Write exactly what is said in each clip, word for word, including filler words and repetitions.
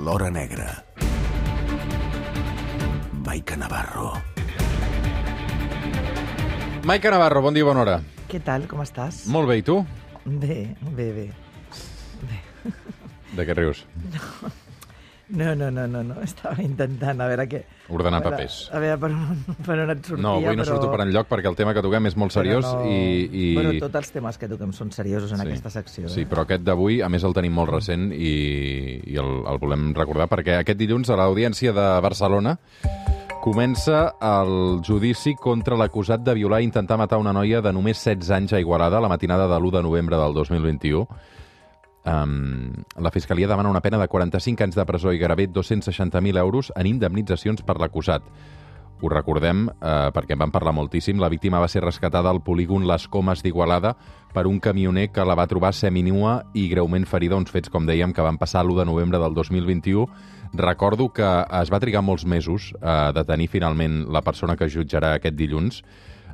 l'hora negra. Maica Navarro. Maica Navarro, bon dia, bona hora. Què tal, com estàs? Molt bé, i tu? Bé, bé, bé. bé. De què rius? No, no, no, no, no. Estava intentant a veure què... Ordenar a veure, papers. A veure per on, per on et sortia, No, avui no però... surto per enlloc perquè el tema que toquem és molt seriós no... i, i... Bueno, tots els temes que toquem són seriosos en sí, aquesta secció. Sí, eh? però aquest d'avui, a més, el tenim molt recent i, i el, el volem recordar perquè aquest dilluns a l'Audiència de Barcelona comença el judici contra l'acusat de violar i intentar matar una noia de només setze anys a Igualada la matinada de l'u de novembre del dos mil vint-i-u. Um, la Fiscalia demana una pena de quaranta-cinc anys de presó i gairebé dos-cents seixanta mil euros en indemnitzacions per l'acusat. Ho recordem eh, perquè en vam parlar moltíssim. La víctima va ser rescatada al polígon Les Comes d'Igualada per un camioner que la va trobar seminua i greument ferida, uns fets, com dèiem, que van passar l'u de novembre del dos mil vint-i-u. Recordo que es va trigar molts mesos a detenir finalment la persona que jutjarà aquest dilluns,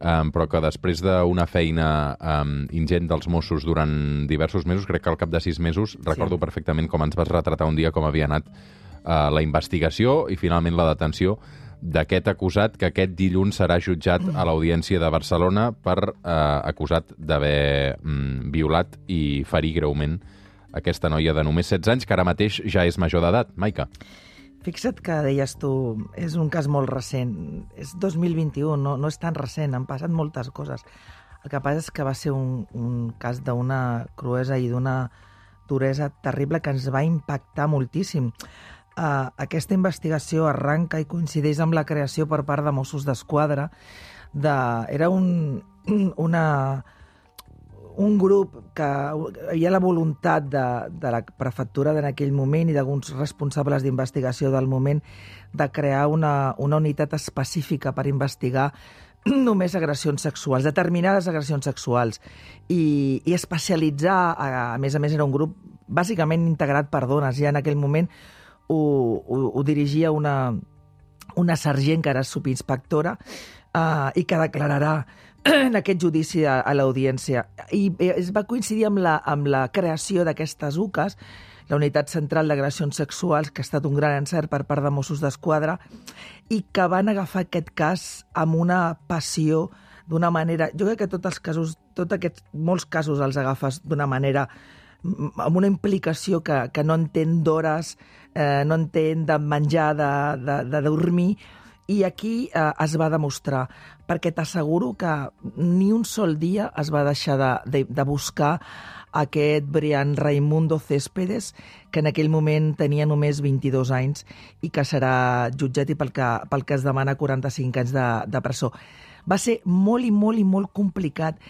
um, però que després d'una feina um, ingent dels Mossos durant diversos mesos, crec que al cap de sis mesos, recordo sí. perfectament com ens vas retratar un dia com havia anat uh, la investigació i finalment la detenció d'aquest acusat que aquest dilluns serà jutjat a l'Audiència de Barcelona per eh, acusat d'haver mm, violat i ferir greument aquesta noia de només setze anys, que ara mateix ja és major d'edat. Maica. Fixa't que deies tu, és un cas molt recent, és dos mil vint-i-u, no, no és tan recent, han passat moltes coses. El que passa és que va ser un, un cas d'una cruesa i d'una duresa terrible que ens va impactar moltíssim. Uh, aquesta investigació arranca i coincideix amb la creació per part de Mossos d'Esquadra de... Era un, una, un grup que hi ha la voluntat de, de la prefectura en aquell moment i d'alguns responsables d'investigació del moment de crear una, una unitat específica per investigar només agressions sexuals, determinades agressions sexuals, i, i especialitzar, a, a més a més era un grup bàsicament integrat per dones, ja en aquell moment Ho, ho, ho dirigia una, una sergent que era subinspectora uh, i que declararà en aquest judici a, a l'audiència. I es va coincidir amb la, amb la creació d'aquestes U C As, la Unitat Central d'Agressions Sexuals, que ha estat un gran encert per part de Mossos d'Esquadra, i que van agafar aquest cas amb una passió, d'una manera... Jo crec que tots els casos, tots aquests, molts casos els agafes d'una manera amb una implicació que, que no entén d'hores, eh, no entén de menjar, de, de, de dormir, i aquí eh, es va demostrar, perquè t'asseguro que ni un sol dia es va deixar de, de, de buscar aquest Brian Raimundo Céspedes, que en aquell moment tenia només vint-i-dos anys i que serà jutjat i pel que, pel que es demana quaranta-cinc anys de, de presó. Va ser molt i molt i molt complicat,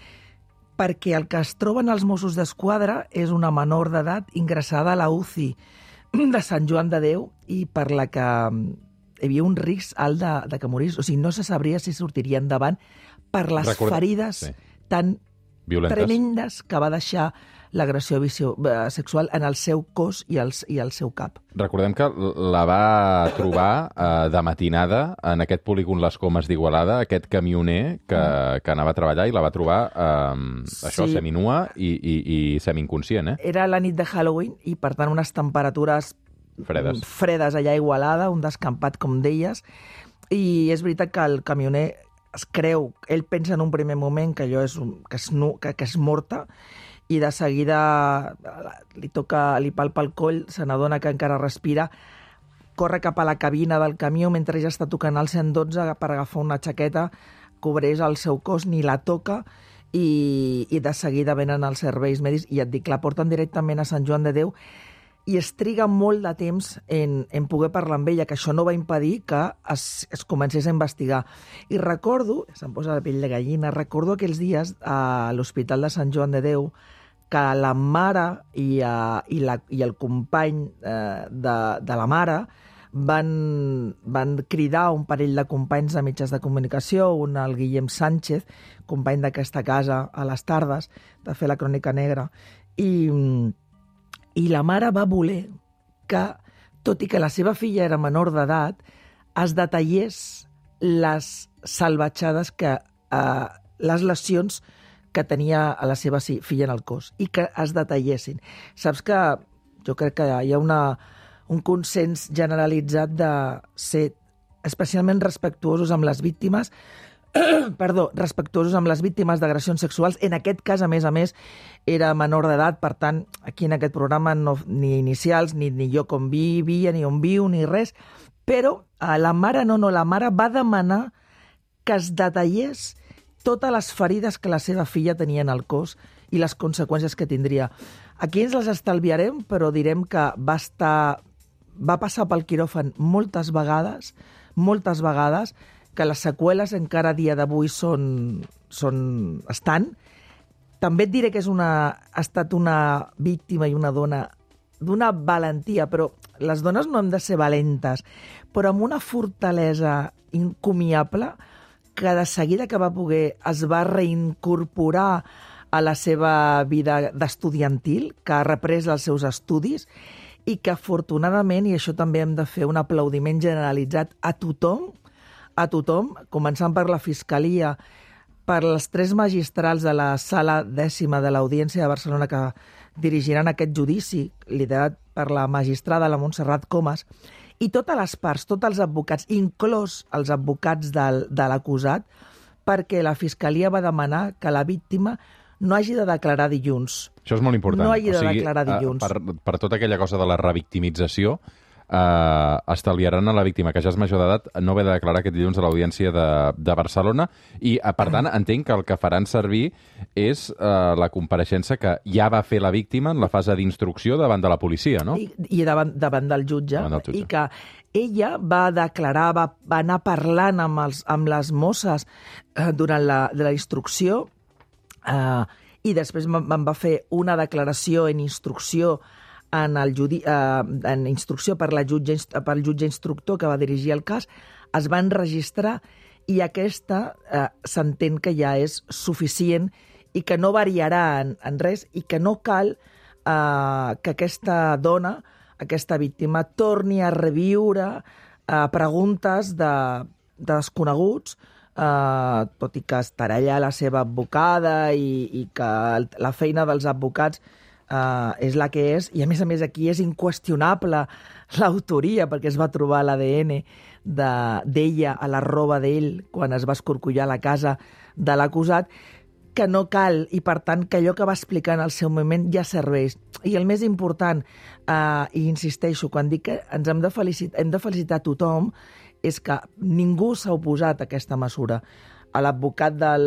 perquè el que es troben els Mossos d'Esquadra és una menor d'edat ingressada a la U C I de Sant Joan de Déu i per la que hi havia un risc alt de, de que morís. O sigui, no se sabria si sortiria endavant per les Record... ferides sí. tan Violentes. tremendes que va deixar l'agressió sexual en el seu cos i el, i el seu cap. Recordem que la va trobar eh, de matinada en aquest polígon Les Comes d'Igualada, aquest camioner que, mm. que anava a treballar i la va trobar eh, això, sí. seminua i, i, i semi-inconscient. Eh? Era la nit de Halloween i, per tant, unes temperatures fredes, fredes allà a Igualada, un descampat, com deies, i és veritat que el camioner es creu, ell pensa en un primer moment que allò és, un, que és, nu, que, que és morta, i de seguida li toca, li palpa el coll, se n'adona que encara respira, corre cap a la cabina del camió mentre ja està tocant el cent dotze per agafar una jaqueta, cobreix el seu cos, ni la toca, i, i de seguida venen els serveis mèdics, i et dic, la porten directament a Sant Joan de Déu, i es triga molt de temps en, en poder parlar amb ella, que això no va impedir que es, es comencés a investigar. I recordo, se'm posa la pell de gallina, recordo aquells dies a l'Hospital de Sant Joan de Déu que la mare i, uh, i, la, i el company uh, de, de la mare van, van cridar un parell de companys de mitjans de comunicació, un el Guillem Sánchez, company d'aquesta casa a les tardes, de fer la Crònica Negra, i... I la mare va voler que, tot i que la seva filla era menor d'edat, es detallés les salvatjades, que, eh, les lesions que tenia a la seva filla en el cos i que es detallessin. Saps que jo crec que hi ha una, un consens generalitzat de ser especialment respectuosos amb les víctimes, perdó, respectuosos amb les víctimes d'agressions sexuals. En aquest cas, a més a més, era menor d'edat, per tant, aquí en aquest programa no, ni inicials, ni, ni jo com vivia, ni on viu, ni res, però eh, la mare no, no, la mare va demanar que es detallés totes les ferides que la seva filla tenia en el cos i les conseqüències que tindria. Aquí ens les estalviarem, però direm que va estar, va passar pel quiròfan moltes vegades, moltes vegades, que les seqüeles encara a dia d'avui són, són, estan. També et diré que és una, ha estat una víctima i una dona d'una valentia, però les dones no hem de ser valentes, però amb una fortalesa incomiable que de seguida que va poder es va reincorporar a la seva vida d'estudiantil, que ha reprès els seus estudis i que afortunadament, i això també hem de fer un aplaudiment generalitzat a tothom, a tothom, començant per la Fiscalia, per les tres magistrals de la sala dècima de l'Audiència de Barcelona que dirigiran aquest judici, liderat per la magistrada, la Montserrat Comas, i totes les parts, tots els advocats, inclòs els advocats del, de l'acusat, perquè la Fiscalia va demanar que la víctima no hagi de declarar dilluns. Això és molt important. No hagi de o sigui, declarar dilluns. Per, per tota aquella cosa de la revictimització, eh, estalviaran a la víctima que ja és major d'edat no haver de declarar aquest dilluns a l'Audiència de, de Barcelona i, per tant, entenc que el que faran servir és eh, la compareixença que ja va fer la víctima en la fase d'instrucció davant de la policia, no? I, i davant, davant del jutge. Davant del jutge. I que ella va declarar, va, va anar parlant amb, els, amb les mosses eh, durant la, de la instrucció eh, i després me'n va fer una declaració en instrucció en, el judi, eh, en instrucció per, la jutge, pel jutge instructor que va dirigir el cas, es va enregistrar i aquesta eh, s'entén que ja és suficient i que no variarà en, en res i que no cal eh, que aquesta dona, aquesta víctima, torni a reviure eh, preguntes de, de desconeguts, eh, tot i que estarà allà la seva advocada i, i que la feina dels advocats Uh, és la que és, i a més a més aquí és inqüestionable l'autoria perquè es va trobar l'A D N d'ella a la roba d'ell quan es va escorcollar la casa de l'acusat, que no cal, i per tant que allò que va explicar en el seu moment ja serveix. I el més important, uh, i insisteixo, quan dic que ens hem de felicitar, hem de felicitar tothom, és que ningú s'ha oposat a aquesta mesura. A l'advocat del,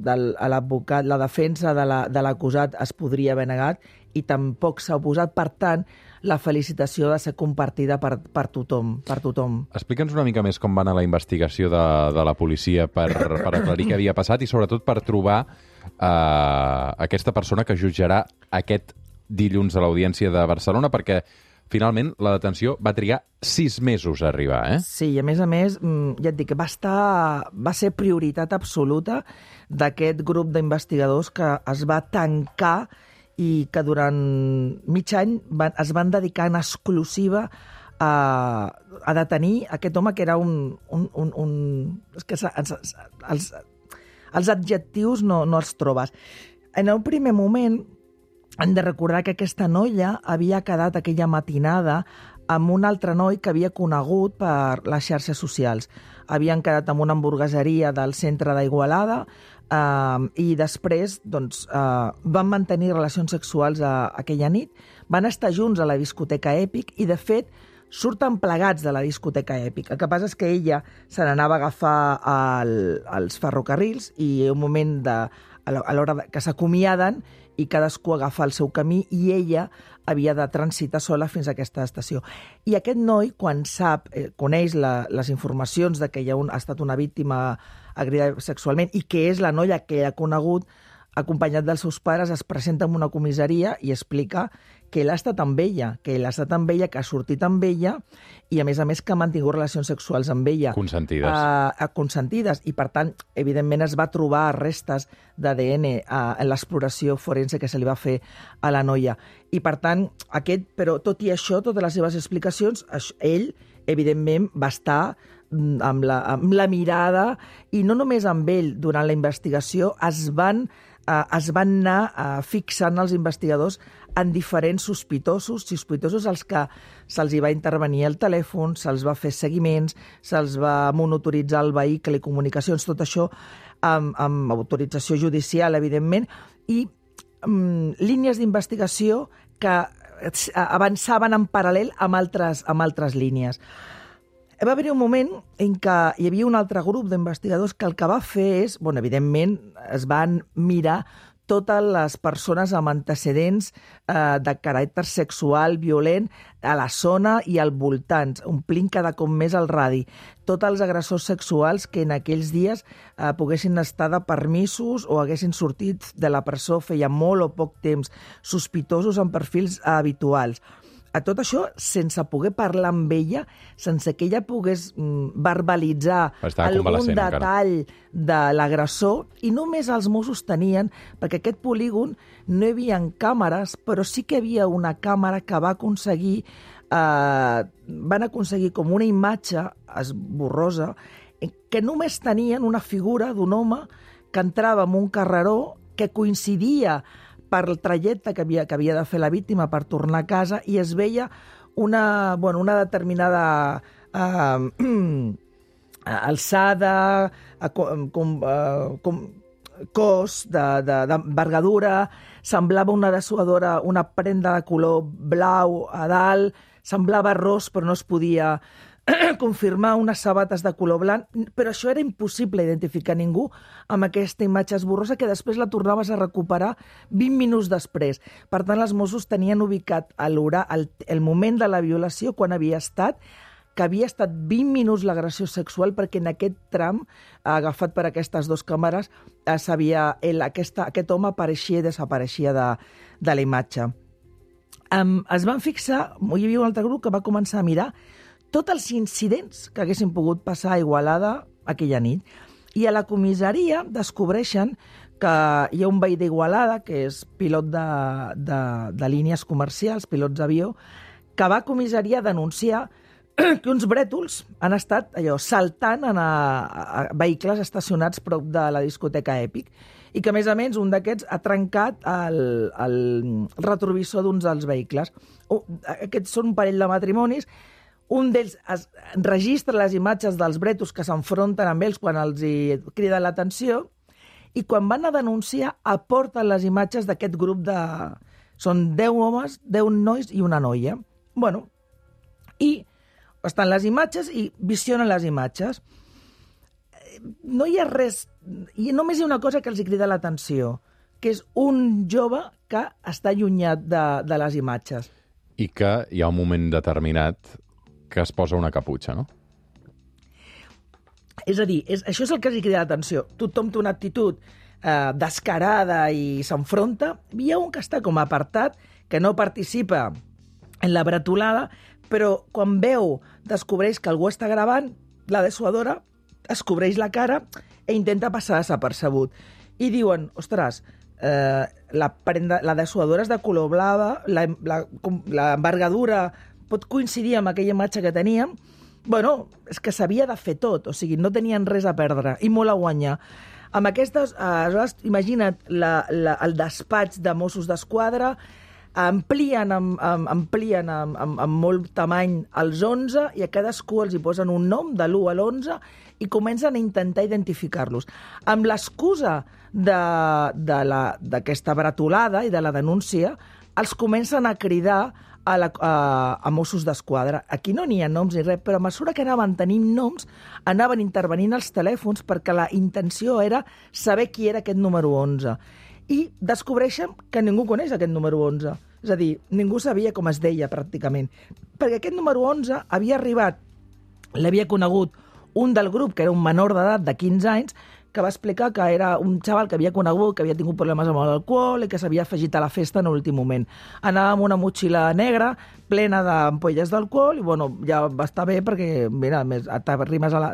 del, a l'advocat, la defensa de l'acusat la, es podria haver negat i tampoc s'ha oposat. Per tant, la felicitació ha de ser compartida per, per tothom. Per tothom. Explica'ns una mica més com va anar la investigació de, de la policia per, per aclarir què havia passat i sobretot per trobar eh, aquesta persona que jutjarà aquest dilluns a l'Audiència de Barcelona, perquè finalment, la detenció va trigar sis mesos a arribar, eh? Sí, i a més a més, ja et dic, va, estar, va ser prioritat absoluta d'aquest grup d'investigadors que es va tancar i que durant mig any van, es van dedicar en exclusiva a, a detenir aquest home que era un... un, un, un és que els, els, els adjectius no, no els trobes. En el primer moment, hem de recordar que aquesta noia havia quedat aquella matinada amb un altre noi que havia conegut per les xarxes socials. Havien quedat en una hamburgueseria del centre d'Igualada eh, i després doncs, eh, van mantenir relacions sexuals a, a aquella nit. Van estar junts a la discoteca Èpic i, de fet, surten plegats de la discoteca Èpic. El que passa és que ella se n'anava a agafar el, els ferrocarrils i un moment de, a l'hora que s'acomiaden i cadascú agafa el seu camí i ella havia de transitar sola fins a aquesta estació. I aquest noi, quan sap, eh, coneix la, les informacions de que hi ha, un, ha estat una víctima agredida sexualment i que és la noia que ha conegut, acompanyat dels seus pares, es presenta en una comissaria i explica que ell ha estat amb ella, que ell ha estat amb ella, que ha sortit amb ella i, a més a més, que ha mantingut relacions sexuals amb ella. Consentides. Uh, consentides. I, per tant, evidentment es va trobar restes d'A D N uh, en l'exploració forense que se li va fer a la noia. I, per tant, aquest, però tot i això, totes les seves explicacions, ell, evidentment, va estar amb la, amb la mirada, i no només amb ell, durant la investigació, es van, eh, es van anar eh, fixant els investigadors en diferents sospitosos, sospitosos als que se'ls hi va intervenir el telèfon, se'ls va fer seguiments, se'ls va monitoritzar el vehicle i comunicacions, tot això amb, amb autorització judicial, evidentment, i um, línies d'investigació que avançaven en paral·lel amb altres, amb altres línies. Va haver un moment en què hi havia un altre grup d'investigadors que el que va fer és, bueno, evidentment, es van mirar totes les persones amb antecedents eh, de caràcter sexual, violent, a la zona i al voltant, omplint cada cop més el radi. Tots els agressors sexuals que en aquells dies eh, poguessin estar de permisos o haguessin sortit de la presó feia molt o poc temps, sospitosos en perfils eh, habituals. A tot això, sense poder parlar amb ella, sense que ella pogués mm, verbalitzar algun detall encara de l'agressor, i només els Mossos tenien, perquè aquest polígon no hi havia càmeres, però sí que hi havia una càmera que va aconseguir, eh, van aconseguir com una imatge esborrosa, que només tenien una figura d'un home que entrava en un carreró que coincidia per el trajecte que havia, que havia de fer la víctima per tornar a casa, i es veia una, bueno, una determinada eh, alçada, eh, com, com, eh, com cos d'envergadura, semblava una dessuadora, una prenda de color blau a dalt, semblava ros però no es podia confirmar, unes sabates de color blanc, però això era impossible identificar ningú amb aquesta imatge esborrosa que després la tornaves a recuperar vint minuts després. Per tant, els Mossos tenien ubicat el, el moment de la violació quan havia estat, que havia estat vint minuts l'agressió sexual, perquè en aquest tram, agafat per aquestes dues càmeres, sabia, el, aquesta, aquest home apareixia i desapareixia de, de la imatge. Um, es van fixar, hi havia un altre grup que va començar a mirar tots els incidents que haguessin pogut passar a Igualada aquella nit. I a la comissaria descobreixen que hi ha un veí d'Igualada, que és pilot de, de, de línies comercials, pilots d'avió, que va a comissaria a denunciar que uns brètols han estat allò saltant en a, a vehicles estacionats prop de la discoteca Èpic, i que, a més a més, un d'aquests ha trencat el, el retrovisor d'uns dels vehicles. Aquests són un parell de matrimonis. Un d'ells es registra les imatges dels brètols que s'enfronten amb ells quan els hi crida l'atenció, i quan van a denunciar aporten les imatges d'aquest grup de... Són deu homes, deu nois i una noia. Bueno, i estan les imatges i visionen les imatges. No hi ha res... I només hi ha una cosa que els hi crida l'atenció, que és un jove que està allunyat de, de les imatges. I que hi ha un moment determinat que es posa una caputxa, no? És a dir, és, això és el que els crida l'atenció. Tothom té una actitud eh, descarada i s'enfronta. Hi ha un que està com apartat, que no participa en la bretolada, però quan veu, descobreix que algú està gravant, la dessuadora es cobreix la cara e intenta passar desapercebut. I diuen, ostres, eh, la, prenda, la dessuadora és de color blava, la, la, la envergadura pot coincidir amb aquella imatge que teníem. Bueno, és que s'havia de fer tot, o sigui, no tenien res a perdre i molt a guanyar. Amb aquestes, aleshores, imagina't la, la, el despatx de Mossos d'Esquadra, amplien, amb, amb, amplien amb, amb, amb molt tamany els onze, i a cadascú els hi posen un nom de l'u a l'onze i comencen a intentar identificar-los. Amb l'excusa d'aquesta bretolada i de la denúncia, els comencen a cridar a, la, a, a Mossos d'Esquadra. Aquí no n'hi ha noms ni res, però a mesura que anaven tenint noms, anaven intervenint els telèfons perquè la intenció era saber qui era aquest número onze. I descobreixen que ningú coneix aquest número onze. És a dir, ningú sabia com es deia, pràcticament. Perquè aquest número onze havia arribat, l'havia conegut un del grup, que era un menor d'edat de quinze anys, que va explicar que era un xaval que havia conegut, que havia tingut problemes amb l'alcohol i que s'havia afegit a la festa en l'últim moment. Anava amb una motxilla negra plena d'ampolles d'alcohol i, bueno, ja va estar bé perquè, mira, més, t'arrimes a la,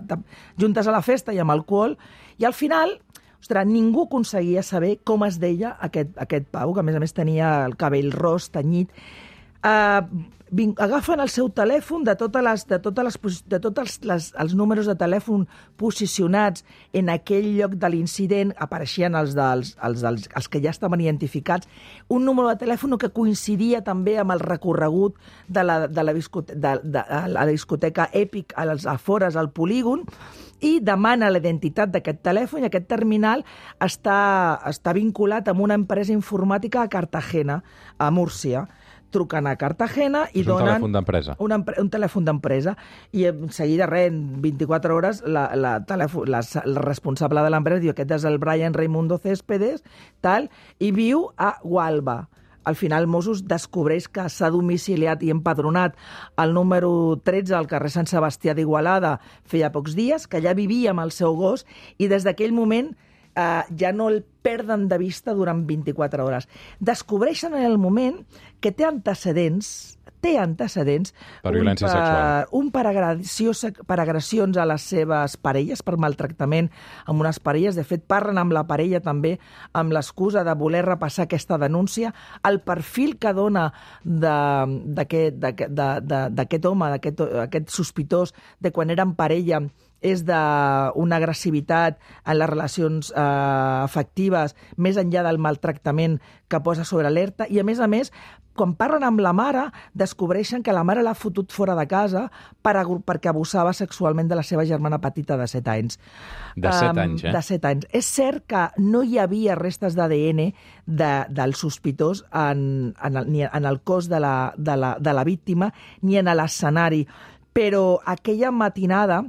juntes a la festa i amb alcohol. I al final, ostres, ningú aconseguia saber com es deia aquest, aquest Pau, que a més a més tenia el cabell ros, tenyit. Uh, agafen el seu telèfon de totes les, de totes les, de tots els, les, els números de telèfon posicionats en aquell lloc de l'incident, apareixien els, dels, els, dels, els que ja estaven identificats, un número de telèfon que coincidia també amb el recorregut de la, de la, discoteca, de, de, de la discoteca Èpic als afores, al polígon, i demana la identitat d'aquest telèfon, i aquest terminal està, està vinculat amb una empresa informàtica a Cartagena, a Múrcia. Truquen a Cartagena i és donen... un telèfon d'empresa. Un, un telèfon d'empresa. I en seguida, res, en vint-i-quatre hores, la, la, telèfon, la, la responsable de l'empresa diu aquest és el Brian Raimundo Céspedes, tal, i viu a Gualba. Al final, Mossos descobreix que s'ha domiciliat i empadronat el número tretze al carrer Sant Sebastià d'Igualada feia pocs dies, que ja vivia amb el seu gos, i des d'aquell moment eh, ja no el perden de vista durant vint-i-quatre hores. Descobreixen en el moment que té antecedents, té antecedents... Per violència un per, sexual. Un per, agressió, per agressions a les seves parelles, per maltractament amb unes parelles. De fet, parlen amb la parella també amb l'excusa de voler repassar aquesta denúncia. El perfil que dona d'aquest home, d'aquest sospitós, de quan eren parella, és d'una agressivitat en les relacions eh, afectives, més enllà del maltractament que posa sobre alerta, i a més a més, quan parlen amb la mare, descobreixen que la mare l'ha fotut fora de casa per, perquè abusava sexualment de la seva germana petita de set anys. De set anys, eh? De set anys. És cert que no hi havia restes d'A D N de, del sospitós en, en, el, ni en el cos de la, de la, de la víctima ni en l'escenari, però aquella matinada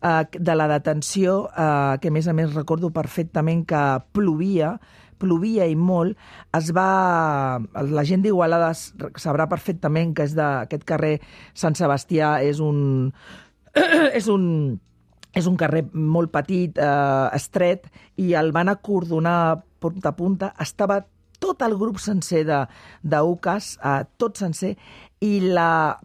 de la detenció, eh, que a més a més recordo perfectament que plovia, plovia i molt, es va... La gent d'Igualada sabrà perfectament que és d'aquest carrer Sant Sebastià, és un... és un... és un carrer molt petit, eh, estret, i el van acordonar punta a punta. Estava tot el grup sencer d'Ucas, eh, tot sencer, i la...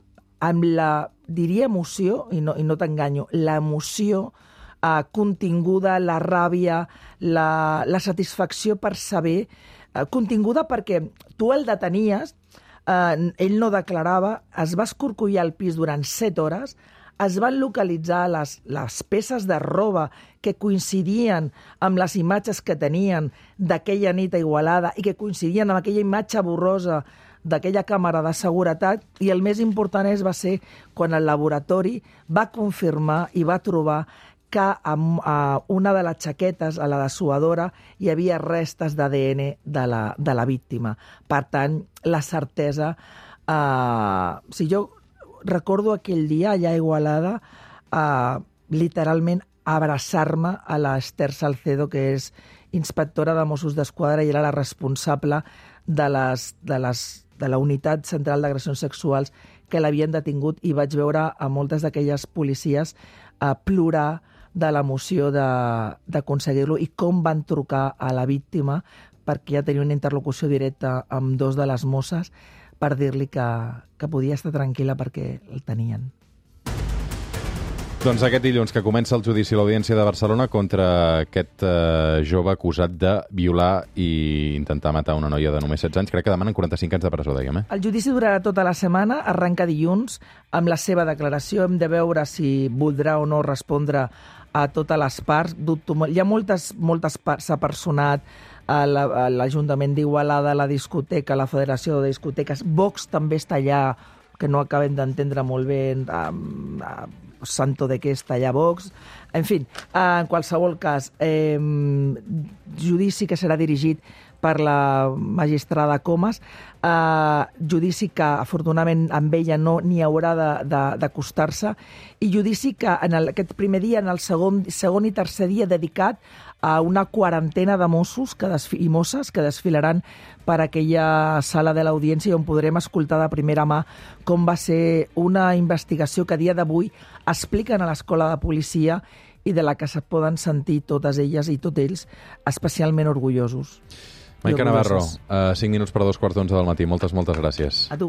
amb la, diria emoció, i no, i no t'enganyo, l'emoció eh, continguda, la ràbia, la, la satisfacció per saber, eh, continguda perquè tu el detenies, eh, ell no declarava, es va escorcollar al pis durant set hores, es van localitzar les, les peces de roba que coincidien amb les imatges que tenien d'aquella nit a Igualada i que coincidien amb aquella imatge borrosa d'aquella càmera de seguretat, i el més important és, va ser quan el laboratori va confirmar i va trobar que amb uh, una de les xaquetes, a la dessuadora, hi havia restes d'A D N de la, de la víctima. Per tant, la certesa... Uh, si jo recordo aquell dia allà a Igualada, uh, literalment abraçar-me a l'Ester Salcedo, que és inspectora de Mossos d'Esquadra i era la responsable de les... De les de la Unitat Central d'Agressions Sexuals que l'havien detingut, i vaig veure a moltes d'aquelles policies a plorar de l'emoció d'aconseguir-lo i com van trucar a la víctima, perquè ja tenia una interlocució directa amb dos de les mosses per dir-li que, que podia estar tranquil·la perquè el tenien. Doncs aquest dilluns que comença el judici a l'Audiència de Barcelona contra aquest eh, jove acusat de violar i intentar matar una noia de només setze anys. Crec que demanen quaranta-cinc anys de presó, dèiem, eh? El judici durarà tota la setmana, arrenca dilluns amb la seva declaració. Hem de veure si voldrà o no respondre a totes les parts. Dubto molt. Hi ha moltes, moltes parts, s'ha personat a l'Ajuntament d'Igualada, a la discoteca, a la Federació de Discoteques. Vox també està allà, que no acabem d'entendre molt bé um, uh, santo de què està allà Vox. En fi, en qualsevol cas, eh, judici que serà dirigit per la magistrada Comas, eh, judici que afortunadament amb ella no n'hi haurà d'acostar-se, i judici que en el, aquest primer dia, en el segon, segon i tercer dia, dedicat a una quarantena de Mossos que i Mosses que desfilaran per aquella sala de l'Audiència, on podrem escoltar de primera mà com va ser una investigació que a dia d'avui expliquen a l'Escola de Policia i de la que se poden sentir totes elles i tots ells especialment orgullosos. Maica Navarro, uh, cinc minuts per a dos quarts d'onze del matí. Moltes, moltes gràcies. A tu.